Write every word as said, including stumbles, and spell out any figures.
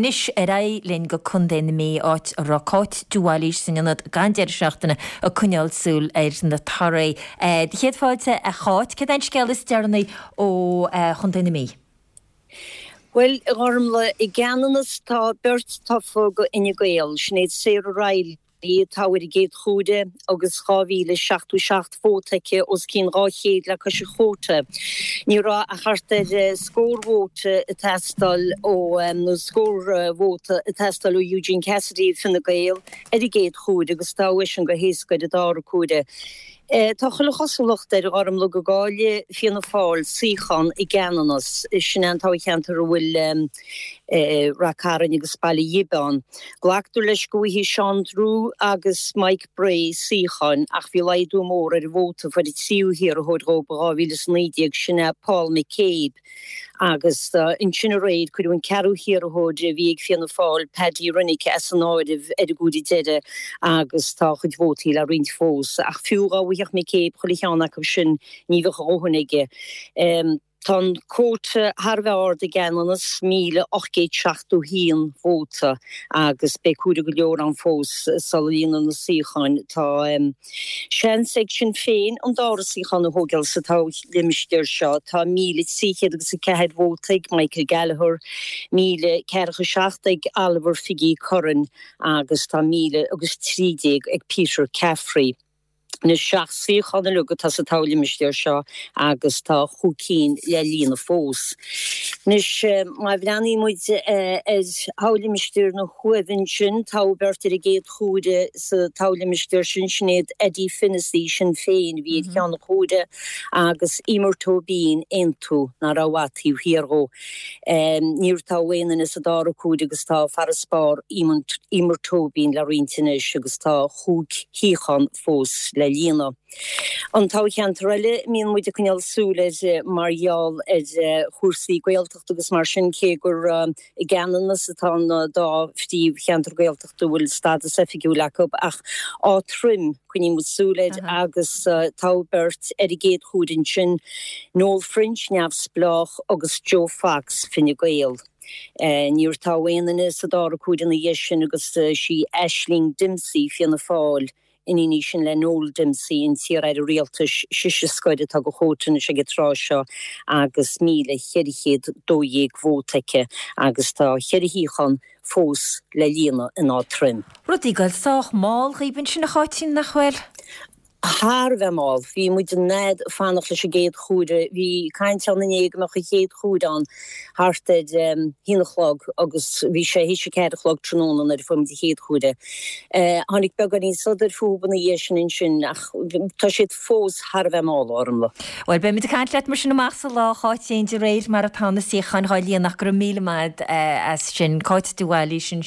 Anois ar aghaidh linn go Contae na Mí, áit a raibh Cáit de Bhailís san ionad don deireadh seachtaine ag coinneáil súil ar na torthaí. Céad fáilte a Cháit, céard é an scéal is deireanaí ó Chontae na Mí? Well a Ghormlaith i gCeanannas tá beirt tofa go Fhine Gael, Sinéad Sarah Reilly atá ar an gcéad chuaire agus dhá mhíle seachtó seacht vóta aici os cionn dhá chéad le cois an chuóta. Ní raibh ach thart ar scór vóta ag teastáil ó nó scór vóta ag teastáil ó Eugene Cassidy Fine Gael ar an gcéad chuaire agus toghadh eisean go héasca ar an dara cuaire. Tá chuile chosúlacht air a Ghormlaith go gcaillfidh Fianna Fáil suíochán i gCeanannas, sin é an toghcheantar a bhfuil Rath Cairn agus Baile Ghib ann. Glactar leis go bhfaighidh Seán Drew agus Mike Bray suíocháin ach bhí laghdú mór ar an vóta a fuair an tríú hiarrthóir dhóibh i dhá mhíle is a naoi déag, sin é Paul McCabe. Agus ansin aréir cuireadh an ceathrú hiarrthóir a bhí ag Fianna Fáil, Paddy Rennick, as an áireamh ar an gcuaire deiridh agus tá a chuid vótaí le roinnt fós. Ach fiú dá bhfaigheadh McCabe chuile cheann acu sin ní bheadh a dhóthain aige. Tá an cuóta thar a bheith ard i gCeanannas, míle ocht gcéad seachtó haon vóta, agus beidh cuaire go leor ann fós sula líonfar na suíocháin. Tá seans ag Sinn Féin an dara suíochán a thógáil sa toghlimistéar seo. Tá míle trí chéad agus a ceathair vóta ag Michael Gallagher, míle ceathracha seacht ag Oliver Phiggy Curran agus tá míle agus trí déag ag Peter Caffrey. Anois seacht suíochán uilig atá sa toghlimistéar seo agus tá chúig cinn le líonadh fós. Anois má bhreathnaíonn muid ar thoghlimistéar na hUaimhe ansin, toghadh beirt ar an gcéad chuaire sa toghlimistéar sin, sin iad Eddie Fennessy, Sinn Féin, a bhí ar cheann an chuaire, agus Emer Tóibín, Aontú, nach raibh i bhfad taobh thiar dhó. Níor toghadh aon duine sa dara cuaire agus tá farasbarr Emer Tóibín le roinnt anois agus tá chúig shuíochán fós le líonadh. An toghcheantar eile a mbíonn muid ag coinneáil súil air mar gheall ar chúrsaí Gaeltachta agus mar sin, cé gur i gCeanannas atá an dá phríomhcheantar Gaeltachta a bhfuil stádas oifigiúil acu, ach Áth Troim, coinníonn muid súil air agus toghadh beirt ar an gcéad chuaire ansin, Noel French, Neamhspleách, agus Joe Fox, Fine Gael. Níor toghadh aon duine sa dara cuaire ina dhiaidh sin agus sí Aisling Dempsey, Fianna Fáil, Iníon í sin le Noel Dempsey, an t-iar-aire rialtais, sise scoir atá de chuóta anois ag an tráth seo agus míle cheithre chéad dó dhéag vóta aici agus tá cheithre shuíochán fós le líonadh in Áth Troim. Rudaí ag goil sách mall dhaoibh ansin a Cháitín, nach bhfuil? Thar a bheith mall. Bhí muid an fhad ag fanacht leis an gcéad chuaire. Bhí caint ann inné go mbeadh an chéad chuaire ann thart ar haon a chlog agus bhí sé théis a ceathair a chlog tráthnóna nuair a fuair muid an chéad chuaire. Tháinig beagáinín sodair fúthu ina dhiaidh sin ansin ach tá siad fós thar a bheith mall, a Ghormlaith. Bhuel, beimid ag caint leat mar sin amach sa lá, a Cháitín, de réir mar atá na suíocháin dhá líonadh ach go raibh míle maith as sin. Cáit de Bhailís ansin.